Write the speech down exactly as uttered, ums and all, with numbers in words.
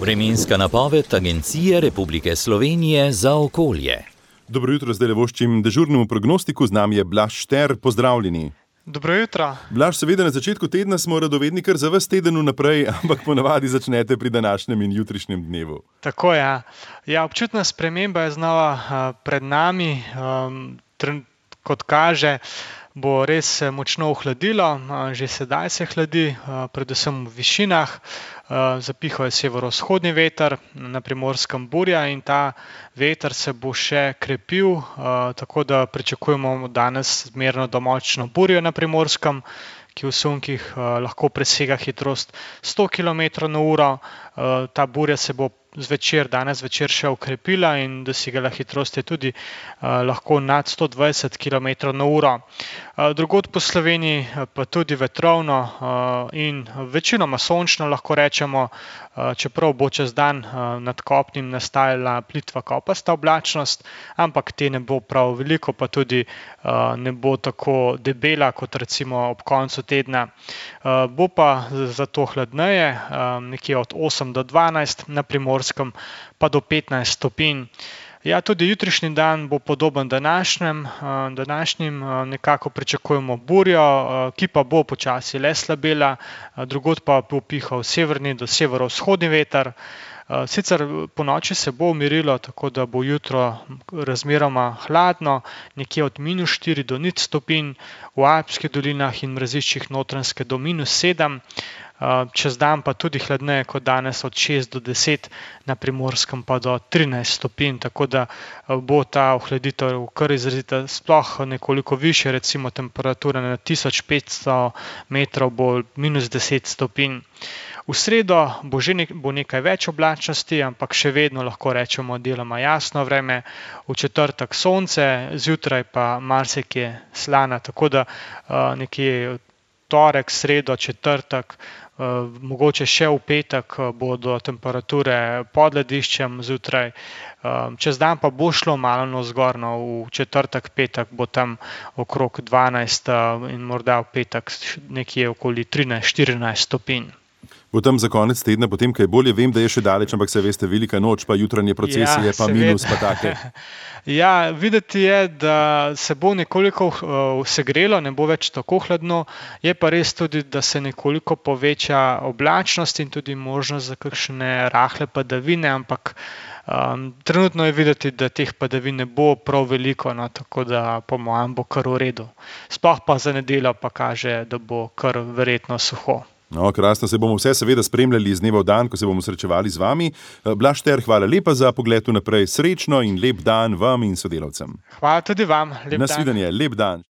Vremenska napoved Agencije Republike Slovenije za okolje. Dobro jutro, zdaj le voščim dežurnemu prognostiku, z nami je Blaž Šter, pozdravljeni. Dobro jutro. Blaž, seveda na začetku tedna smo radovedni kar za ves teden vnaprej, ampak ponavadi začnete pri današnjem in jutrišnjem dnevu. Tako je. Ja, občutna sprememba je znova uh, pred nami, um, tren, kot kaže, bo res močno ohladilo, že sedaj se hladi, predvsem v višinah, zapihal je severovzhodni veter, na Primorskem burja in ta veter se bo še krepil, tako da pričakujemo danes zmerno do močno burjo na Primorskem, ki v sunkih lahko presega hitrost sto kilometrov na uro. Ta burja se bo zvečer, danes zvečer še okrepila in dosegala hitrost je tudi uh, lahko nad sto dvajset kilometrov na uro. Uh, drugod po Sloveniji pa tudi vetrovno uh, in večinoma sončno lahko rečemo, uh, čeprav bo čez dan uh, nad kopnim nastajala plitva kopasta oblačnost, ampak te ne bo prav veliko, pa tudi uh, ne bo tako debela kot recimo ob koncu tedna. Uh, bo pa zato hladneje, uh, nekje od osem do dvanajst, na Primorskem pa do petnajst stopinj. Ja, tudi jutrišnji dan bo podoben današnjem, današnjim nekako pričakujemo burjo, ki pa bo počasi le slabela, drugod pa bo pihal severni do severovzhodni veter. Sicer po noči se bo umirilo, tako da bo jutro razmeroma hladno, nekje od minus štiri do nič stopinj, v Alpskih dolinah in mraziščih Notranjske do minus sedem, čez dan pa tudi hladneje kot danes od šest do deset, na Primorskem pa do trinajst stopinj, tako da bo ta ohladitev kar izrazita, sploh nekoliko više, recimo temperatura na tisoč petsto metrov bo minus deset stopinj. V sredo bo že nek, bo nekaj več oblačnosti, ampak še vedno lahko rečemo deloma jasno vreme, v četrtek sonce, zjutraj pa marsikje slana, tako da uh, nekje torek, sredo, četrtek, uh, mogoče še v petek bodo temperature pod lediščem zjutraj, uh, čez dan pa bo šlo malo navzgor, v četrtek, petek bo tam okrog dvanajst uh, in morda v petek nekje okoli trinajst štirinajst stopinj. Bo tam za konec tedna, potem kaj bolje, vem, da je še daleč, ampak se veste, velika noč, pa jutranje procesije, ja, pa minus, pa take. Ja, videti je, da se bo nekoliko uh, segrelo, ne bo več tako hladno, je pa res tudi, da se nekoliko poveča oblačnost in tudi možnost za kakšne rahle padavine, ampak um, trenutno je videti, da teh padavin ne bo prav veliko, no, tako da po mojem bo kar v redu. Sploh pa za nedeljo pa kaže, da bo kar verjetno suho. No, krasno, se bomo vse seveda spremljali iz dneva v dan, ko se bomo srečevali z vami. Blaž Šter, hvala lepa za pogled vnaprej, srečno in lep dan vam in sodelavcem. Hvala tudi vam, lep dan. Nasvidenje, lep dan.